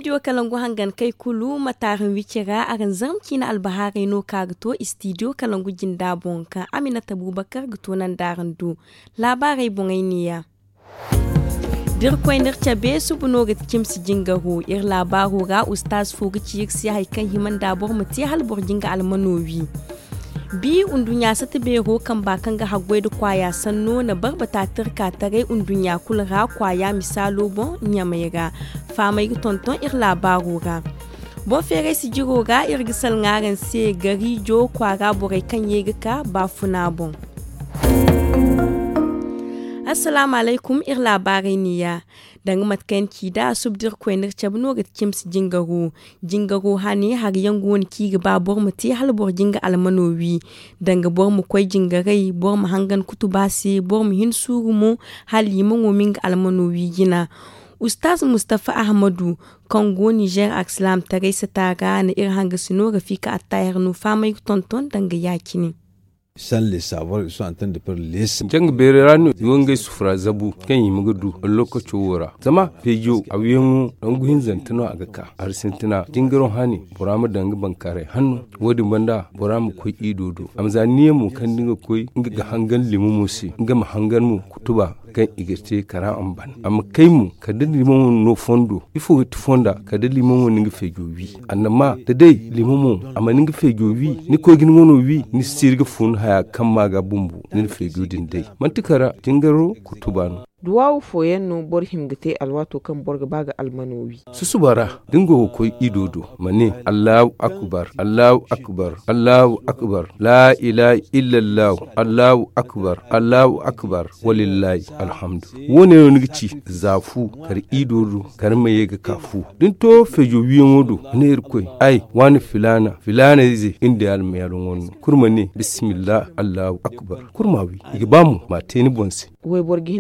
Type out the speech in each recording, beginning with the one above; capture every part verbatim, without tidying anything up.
Istidiyo kalangu hangan kay kulu ma taarin wici ra araŋ zarma ciina albahaarey no ka ga to istidiyo kalangu jinda boŋ ka aminata bubakar ga to nanda araŋ do. Laabaarey boŋey neeya. Da iri koy n'iri cabe suba no ga ti cimsi jingaro iri laabaaro ra ustaaz fo ga ci iri se hari kaŋ hima nda boro ma te hala boro ga nga almano wi. Bi nduɲɲa sata beero kamba kaŋ ga haggoy nda kwaaya sanno na barbata tirka taray nduɲɲa kulu ra kwaaya misaalo boŋ ɲamay ra. Faamay ga tonton iri laabaaro ra. Boŋ feeray sijiro ra iri ga salaŋ araŋ se gariijo kwaara borey kaŋ ye ga ka baafuna boŋ. Assalaamu alaykum, iri laabaarey neeya. Danga mate kaŋ yaŋ ci nd'a suba da iri koy n'iri cabe no ga ti cimsi jingaro. Jingaro hane hari yaŋ go no kaŋ i ga ba boro ma te hala boro ga nga almano wi. Danga boro ma koy jingaray boro ma hangan kutuba se boro ma hin suuru mo hala liimaŋo ma nga almano wi jina. Ustaaz mustafa ahmadu kaŋ go nizeer arsilaam taray sata ra na iri hangasino rafika attaahir no faamay ga tonton danga ya- cine. Jaŋ ga beeray ra no i wo ngey sufura zabu kaŋ i hima ga du lokaco wo ra zama feejo a wiyaŋo nangu hinzante no a ga ka hari sintina jingaro hane bora ma daŋ ga bankaaray hanno. Wo- din banda bora ma koy ido do a ma za niya mo kaŋ da nga koy nga ga hangan limamo se nga ma hangan mo kutuba kaŋ i ga te kara a ma ban a ma kay mo kala da limamo no fondo ifo ga ti fonda kala da limamo na nga feejo wi. Annama da day limamo a mana nga feejo wi ni koy ga ni wano wi ni si iri ga fun haya kaŋ ma ga bumbo ni na feejo din day manti kara jingaro kutuba no. Duwaawu fooyaŋ no boro hima ga te alwaato kaŋ boro ga ba ga almano wi. Susuba ra da ni go ga koy ido do ma ne allahu akbar allahu akbar allahu akbar laa ilaaha illa allahu allahu akbar allahu akbar walillahi alhamdu. Wo- ne no ni ga ci za fu kar ido do kar ma ye ga ka fu da ni to feejo wiyaŋo do ma ne irkoy ay waani filaana filaana ize iri nda ya almayaalo ŋwanno kulu ma ne bismillah allahu akbar kulu ma wi. I ga ba mo ma a te ni boŋ se. Wayboro ga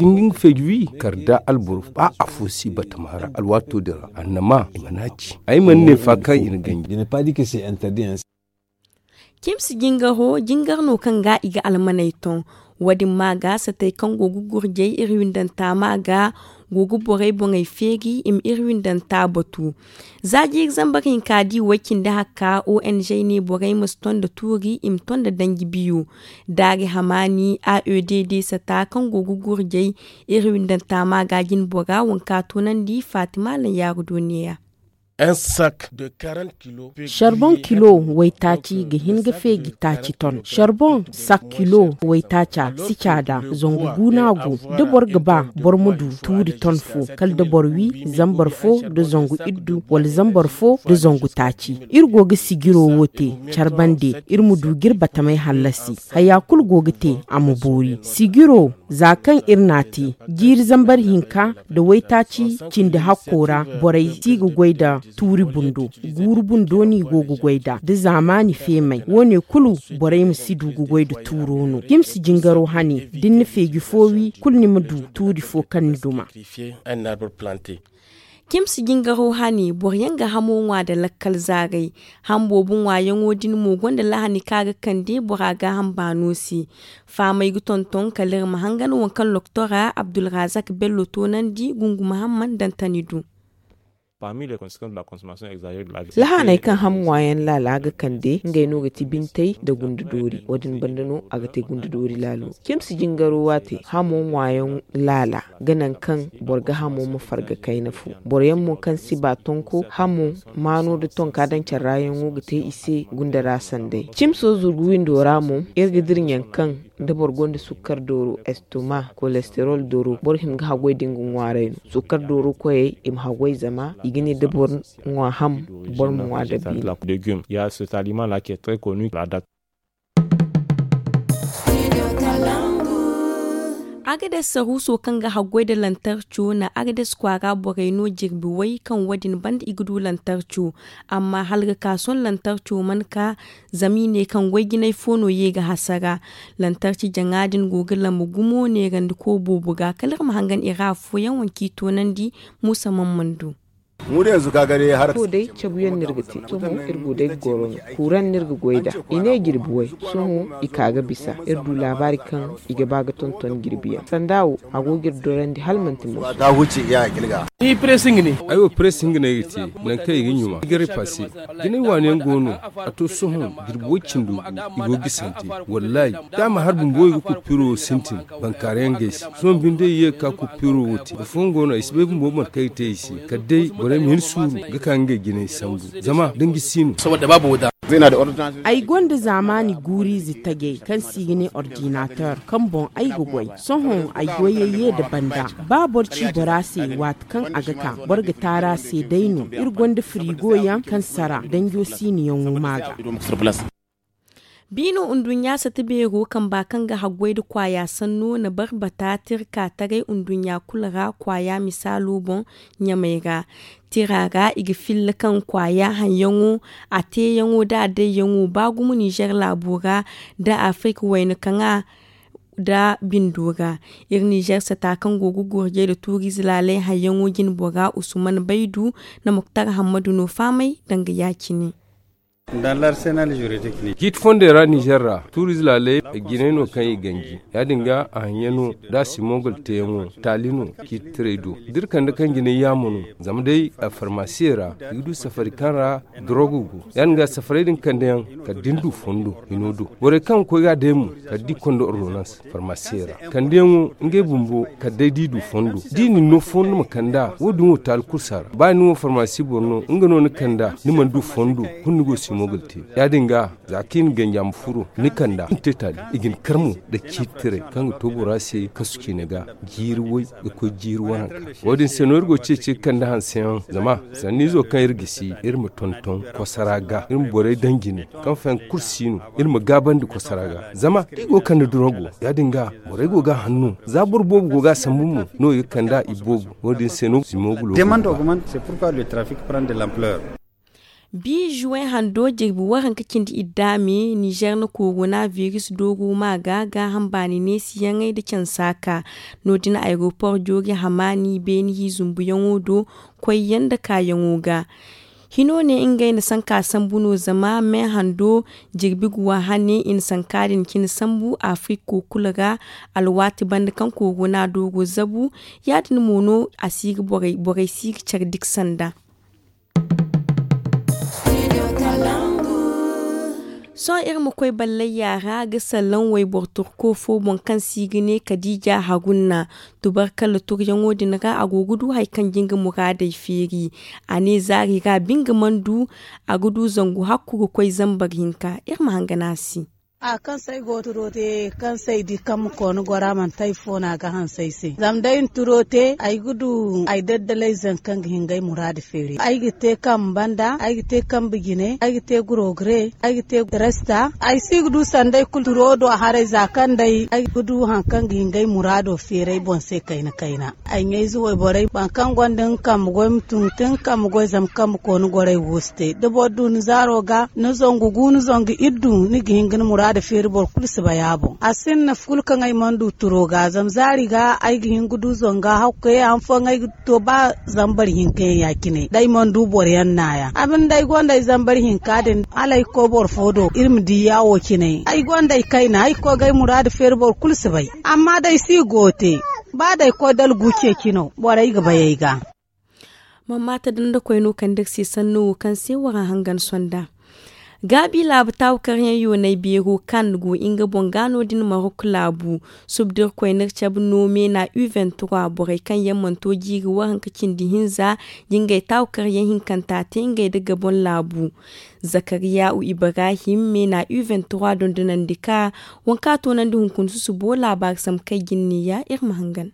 hin ga feeji wi kar da alboro ba afo si batama ra alwaato din ra annama i mana ci ay mana ne fa kaŋ i na ganji. Cimsi jingaro jingar no kaŋ ga i ga almaney ton. Wo- din ma ga satey kaŋ go ga gurjey iri windanta ma ga go ga borey boŋey feeri i ma iri windanta batu. Za jiiri zambar hinka di way cindi hakka ong ne borey ma si ton da tuuri i ma ton da danji biyo. Daari hamaani a e d d sata kaŋ go ga gurjey iri windanta ma ga jine bora wanka toonandi fatima laŋ yaaru do neeya. Sarboŋ kilo waytaaci ga hin ga feeji taaci ton sarboŋ sak kilo waytaaca si caada zangu guuna go da boro ga ba boro ma du tuuri ton fo kala da boro wi zambar fo da zangu iddu wala zambar fo da zangu taaci. Iri go ga sijiro wo te care bande iri ma du ga iri batamey hallasi. Haya kulu go ga te a ma boori sijiro za kaŋ iri n'a te jiiri zambar hinka nda waytaaci cindi hakko ra borey si ga goy nda tuuri bundo guuru bundo no i go ga goy nd'a da zaamaani feemey wo- ne kulu borey ma si du ga goy nda tuuro no cimsi jingaro hane da ni na feeji fo wi kulu ni ma du tuuri fo kaŋ ni duma. Cimsi jingaro hane boro yaŋ ga hamo ŋwa nda lakkal zaaray. Ham boobo ŋwaayaŋo din mo gonda lahani kaŋ a ga kande bora gaaham baano se. Faamey ga tonton kala iri ma hangan waŋ kaŋ loktora abdulrazak bello toonandi gunguma hamman dantani du. Lahaney kaŋ ham ŋwaayaŋ laala ga kande ngey no ga ti bintey nda gunde doori wo- din banda no a ga te gunde doori laalo. Cimsi jingaro waate hamo ŋwaayaŋ laala ga naŋ kaŋ boro ga hamo ma farga kayna fo. Boro yaŋ mo kaŋ si ba tonko hamo maano nda tonka daŋ care ra yaŋo ga te i se gunda ra sanday cimso zurgu windo ra mo iri ga dira ɲaŋ kaŋ da boro gonda sukkar dooro estoma kolesterol dooro boro hima ga haggoy da nga ŋwaaray no. Sukkar dooro koyey i ma haggoy zama i ga ne da boro ŋwa ham boro ma ŋwa dabiino. Agades saruuso kaŋ ga haggoy nda lantarco na agades kwaara borey no jirbi way kaŋ wo- din banda i ga du lantarco. Amma hala ga ka sohõ lantarco mana ka zama i ne kaŋ goy jinay fo no ye ga hasara. Lantarci jaŋa din go ga lambu gumo neerandiko boobo ga kala iri ma hangan i ra afooyaŋ waŋ kaŋ i toonandi. Muusa mamman do. Wo day cabuyaŋ no iri ga te sohõ iri go day ga goro no. Kuuraŋ no iri ga goy nd'a i ne jirbi way. Sohõ i ka ga bisa iri du laabaari kaŋ i ga ba ga tonton jirbi yaŋ sanda wo a go ga iri dorandi hala manti mo. Ay wo press hinga no ay ga te, nangu kaŋ i ga ɲuma i ga repase. Jinay waani yaŋ go no. A to sohõ, jirbi way cindo gu i go gisante. Wallahi, da a ma har bumbo i ga kupiro wo sintin, bankaara yaŋ ga ay se. Sohõ binde i ye ga ka kupiro wo te boro fooyaŋ go no ay si bay bumbo mate kaŋ ay ga te i se. Kala day borey ma hin suuru ga ka ngey jinay sambu, zama danji si no. Ay gonda zaamaani guuriize tajey kaŋ se i ga ne ordinateur, kaŋ boŋ ay ga goy. Sohõ ay goyey ye nda banda. Ba boro ci bora se, waati kaŋ a ga ka, boro ga taara se day no. Iri gonda firigo yaŋ kaŋ sara danjo siiniyaŋo ma ga. Biino nduɲɲa sata beero kamba kaŋ ga haggoy nda kwaaya sanno na barbata tirka taray nduɲɲa kulu ra kwaaya misaalo boŋ ɲamay ra. Tira ra i ga filla kaŋ kwaaya haŋyaŋo, a teeyaŋo nda a dayyaŋo ba gumo nizer laabo ra nda afirka wayna kaŋa nda bindo ra. Iri nizer sata kaŋ go ga gurjay nda tuuriize laalay haŋyaŋo jine bora usman baydu na muktar hammadu no faamay danga ya-cine. Ciiti fondey ra nizer ra tuuriize laaley jinay no kaŋ i ganji. Ya-din ga a haŋyaŋo nda a simogol teeyaŋo taali no. Ciiti tirey do da iri kande kaŋ jinay yaamo no. Zama day farmasiyey ra i ga du safari kaŋ ra dorogo go. Ya-din ga safarey din kande yaŋ kala da ni du fondo hino do. Borey kaŋ ga koy ga a day mo kala da i konda ordonans farmasiyey ra kandiyaŋo ngey bumbo kala day da i du fondo da i na ni no fondo ma kand'a. Wo- din wo taali kursa ra ba ni wo farmasi boro no nga no ni kand'a ni mana du fondo. Kulu ni go simo ga te. Ya-din ga za kaŋ i na ganji a ma furo ni kand'a ni te taali. I ga ni kar mo nda ciiti tirey kaŋ ga to bora se kasu ciine ga jiiri way ga koy jiiri waranka. Wo- din se no iri go ceeci ga kande hanseyaŋ zama sanniizo kaŋ iri gisi iri ma tonton kosara ga iri ma borey daŋ jine kaŋ fayaŋ kulu si no. Iri ma gaabandi kosara ga zama da i go ga kande dorogo ya-din ga borey go ga a hanno za boro boobo go ga a sambu mo no i ga kand'a i boobo. Wo- din se no simo ga lo. Bi juwen hando jirbi waranka cindi iddaame nizer na korona viris dooru ma ga gaaham baani neesiyaŋey nda cansa ka no- din aeropor joori hamaani beeni hi zumbuyaŋo do koyyaŋ nda kaayaŋo ga. Hino ne ngey na sanka sambu no zama me hando jirbi guwa hane i na sanka din cine sambu afiriko kulu ra. Alwaati banda kaŋ korona dooru zabu ya- din mo no a si ga borey si ga care diksa nda. Sohõ iri ma koy ballayya ra ga salaŋ wayboro turko fo boŋ kaŋ se i ga ne kadiija hagunna. Tubarkalla turyaŋo din ra a go ga du hari kaŋ ga nga muraadey feeri. A ne zaari ra binga mana du a ga du zangu hakku ga koy zambar hinka. Iri ma hangan a se. A kaŋ se ay go turo te kaŋ se ay di kaŋ ma koona goro a manti ay fo no a ga hanse ay se zama day na turo te ay ga du ay daddalay zangu kaŋ ga hin ga ay muraadu feeri ay ga te kambe banda ay ga te kambe jine ay ga te gurogure ay ga te resta. Ay si ga du sanda ay kulu turo do haray za kaŋ day ay ga du hari kaŋ ga hin ga ay muraado feeri ay boŋ se kayna kayna. Ay ɲayze wayborey boro kaŋ gonda nga kambe goy ma tun ga te nga kambe goy zama kambe koona goro ay wo si te da boro du ni zaaro ga ni zangu gu ni zangu iddu ni ga hin ga ni muraadu feeri boro kulu si bay a boŋ a sinda nafa kulu kaŋ ay mana du turo ga zama zaari ga ay ga hin ga du zanga hakku kaŋ yaŋ fooyaŋ ay ga to ba zambar hinka yaŋ ya- cine da ay mana du boro yaŋ naayaŋ a binde ay gonda ay zambar hinka din hala ay ga koy boro fo do iri ma di yaawo cine ay gonda ay kayna ay ga koy ga ay muraadu feeri boro kulu si bay. Amma da ay si go te ba da ay koy dala gu ceeci no borey ga bay ay ga. Mamma ta danda koyno kande iri se sanno wo kaŋ se wara hangan sonda. Gaabi laabu taawu karyaŋ yoonay beero kan go nga boŋ ga no- din marok laabu. Subda iri koyne iri cabe no meena u vingt-trois borey kaŋ yaŋ mana to jiiri waranka cindi hinza ga ngey taawu karyaŋ hinkanta te ngey nda gabon laabu. Zakariya u ibrahim meena u vingt-trois dondonandi ka waŋ kaŋ a toonandi hunkuna susubo laabaari sambu kaŋ ay ga ni ne ya iri ma hangan.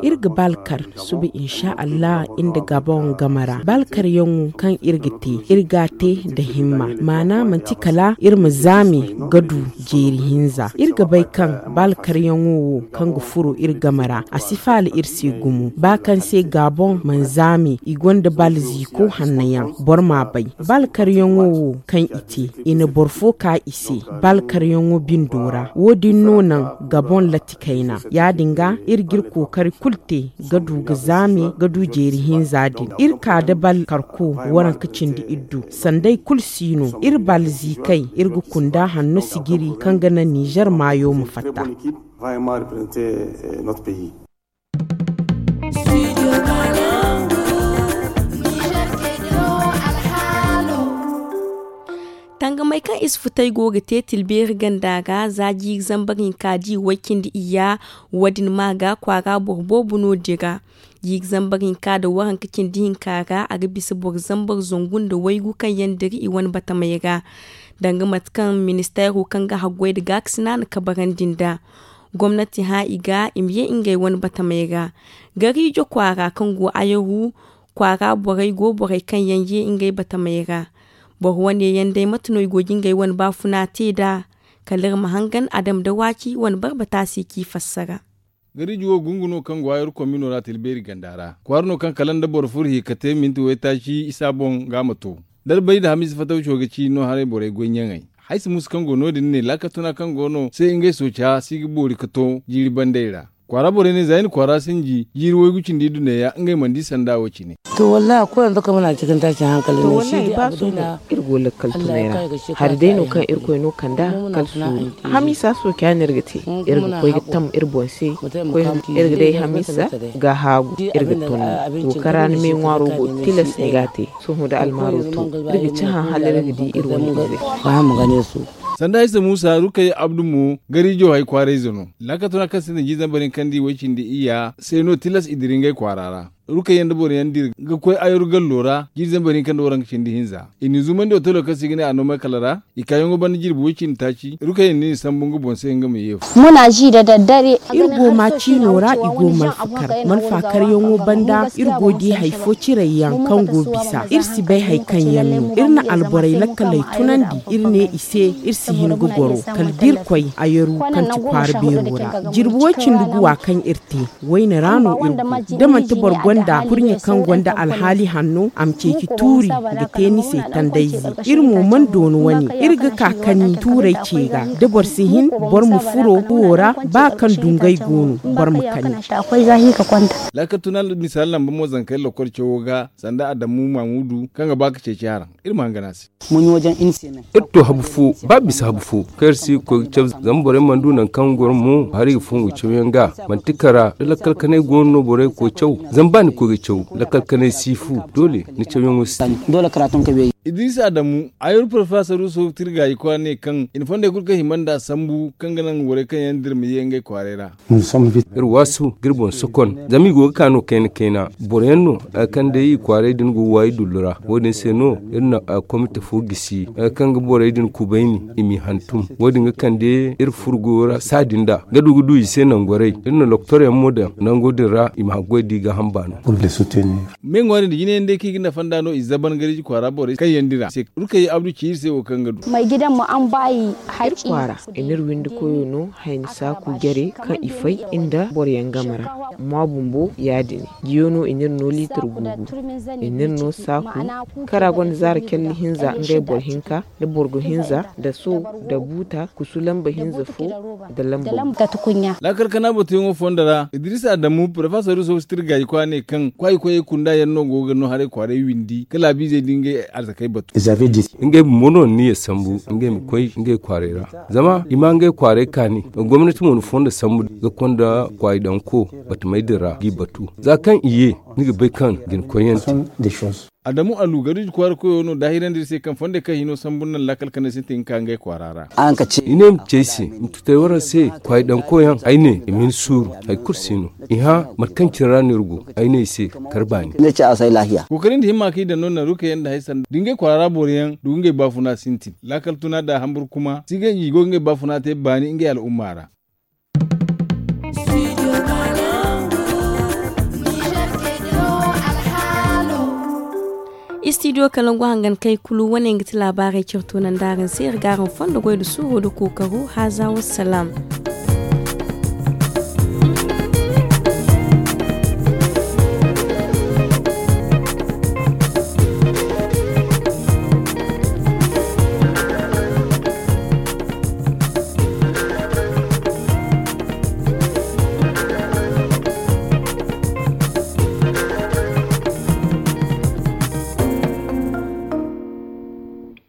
Iri ga baalkar suba insa allah iri nda gabon game ra baalkaryaŋo kaŋ iri ga te iri ga a te nda himma maana manti kala iri ma zaame ga du jeeri hinza iri ga bay kaŋ baalkaryaŋo wo kaŋ ga furo iri game ra a si faala iri se gumo ba kaŋ se gabon mana zaame i gonda baala ziiko hanno yaŋ boro ma a bay. Baalkaryaŋo wo kaŋ i te i na boro fo ka i se baalkaryaŋo bindo ra wo- din no naŋ gabon latti kayna ya- din ga iri ga iri kookari kulu te ga du ga zaame ga du jeeri hinza din iri ka da baalkarko waranka cindi iddu sanda ay kulu si no iri baala ziikay iri ga kunda hanno sijiri kaŋ ga naŋ nizer maayo ma fatta. Tangamey kaŋ i si futay go ga te tilbeeri ganda ra za jiiri zambar hinka di way cindi iyya. Wo- din ma ga kwaara boro boobo no dira. Jiiri zambar hinka nda waranka cindi hinka ra a ga bisa boro zambar zangu nda waygu kaŋ yaŋ dira i wane batamey ra. Danga mate kaŋ ministeero kaŋ ga haggoy nda gaakasina na kabarandi nd'a. Gomnati hã i ga i ma ye ngey wane batamey ra. Gariijo kwaara kaŋ go ayaru kwaara borey go borey kaŋ yaŋ ye ngey batamey ra. Boro wane yaŋ day mate no i go ga ngey wane baafuna te nd'a? Kala iri ma hangan adama nda waaci wane barbata se k'i fassara. Gariijo wo gungu no kaŋ go ayaru komino ra tilbeeri ganda ra kwaara no kaŋ kala nda boro furo hi ka te minti waytaaci isa boŋ ga a ma to. Darbay nda hamiisa fatawco ga ci no haray borey goy ɲaŋey. Haysa muusa kaŋ go no- din ne laakatuna kaŋ go no se ngey sooca si ga boori ka to jiiri bandey ra. Kwaara borey ne za i na kwaara sinji jiiri waygu cindi duneya ngey mana di sanda wo cine. To wallahi a koy yanzu kamar a cikin tashin hankali ne shi dai abu dai na. Iri go lakkal tunay ra. Hari day no kaŋ irkoy no kanda kala suuru. Hamiisa sooca no iri ga te. Iri ga koy ga tam iri boŋ se. Koy iri ga day hamiisa ga haagu iri ga tonno. Wo kaŋ ra ni me ŋwaaro go tilas ni ga a te. Sohõ da almaaro to iri ga cahã hala iri ga di iri wane ize. Sanda ay se muusa rukay abdu mo gariijo hay kwaarayze no. Laakatuna kaŋ sinda jiiri zambar hinka nda i way cindi iyya se no tilas i dira ngey kwaara ra. Rukay yaŋ nda boro yaŋ dira ga koy ayaru gallo ra jiiri zambar hinka nda waranka cindi hinza. I n'i zumandi otelo kaŋ se i ga ne a noomay kala ra. I kaayaŋo banda jirbi way cindi taaci rukay yaŋ no i sambu nga boŋ se nga ma ye. Iri go ma ciino ra i go malfakar malfakaryaŋo banda iri go di hari fo cirayyaŋ kaŋ go bisa iri si bay hari kaŋ yaŋ no iri na alborey lakkaley tunandi. Iri ne i se iri si hin ga goro kala da iri koy ayaru kaŋ ti kwaara beero ra. Jirbi way cindi guwa kaŋ iri te wayne ra no iri go. Da manti boro gonda kurɲe kaŋ gonda alhaali hanno a ma ceeci tuuri ga te ni se tandayze. Iri mo mana dooni wane iri ga ka kani tuuray ce ga da boro si hin boro ma furo fuwo ra ba kaŋ dungay go no boro ma kani. Laakal tuna misaali lamba mo zankey lokol cawo ga sanda adamu mamudu kaŋ ga ba ga ceeci haraŋ. Iri ma hangan a se. Iri to habu fo ba bisa habu fo kaŋ iri si ga koy ga caw zama borey mana du nangu kaŋ goro mo hari ga fongu cawyaŋ ga. Manti kara da lakkal kanay go no no borey ga koy caw zama ba ni koy ga caw lakkal kanay si fu doole ni cawyaŋo si. Idris adamu ayur professor ruso tirga i kwa ne kaŋ i na fondey kulu kaŋ hima nda sambu kaŋ ga naŋ borey kaŋ yaŋ dira ma ye ngey kwaaray ra. Iri waasu ga iri boŋ sokon zama i go ga ka no kayna kayna boro yaŋ no kaŋ day i kwaaray din go waayi dullu ra. Wo- din se no iri na komite fo gisi kaŋ ga borey din kubayni i m'i hantum. Wo- din ga kande iri furgo ra saadi nda ga du ga du i se nangorey iri na loktor yaŋ mo daŋ nango din ra i ma haggoy da i ga hamba no. Me ŋwaari nda jine yaŋ day kaŋ i ga nafa nda no i zaban gariji kwaara borey kaŋ yaŋ dira se rukay abdu ci iri se wo kaŋ ga du. Iri kwaara i n'iri windi koyo no hayni saaku jare kaŋ i fay nda boroyaŋ game ra. Mwa bumbo ya- din jiyo no i n'iri no liitar guugu. I n'iri no saaku kara gonda zaara calli hinza ngey boro hinka da borgo hinza da so da buuta kusu lamba hinza fo da lamba. Laakal kana batuyaŋo fondo ra idris adamu professor ruso sitir gayi kwa ne kaŋ kwayi koyey kunda yaŋ no go ga no haray kwaaray windi ka laabiizey da ngey arzakey batu. Ngey bumbo no ni ya sambu ngey ma koy ngey kwaaray ra. Zama i ma ngey kwaaray kaani gomnati mo na fondo sambu ga konda kwaayi danko batumey din ra g'i batu za kaŋ i ye ni ga bay kaŋ jina koyyaŋ te. Adamu alu gariji kwaara koyo no daahirandi iri se kaŋ fondey kaŋ hino sambu naŋ laakal kanay sintin ga ka ngey kwaara ra. I ne i ma ci ay se ma tutay waraŋ se kwaayi danko yaŋ ay ne i ma ni suuru hari kulu si no. I hã mate kaŋ cine ra no iri go ay ne i se kar baani. Kookari nda himma kaŋ i daŋ no naru kaŋ yaŋ nda hay sanda da ngey kwaara ra boro yaŋ du ngey baafuna sintin laakal tuna da hambur kuma si ga i go ga ngey baafuna te baani ngey al'umma ra. Istidiyo kalangu hangan kay kulu wane nga ti laabaarey carto nanda araŋ se iri ga araŋ fondo goy nda suuro nda kookaro haaza wassalam.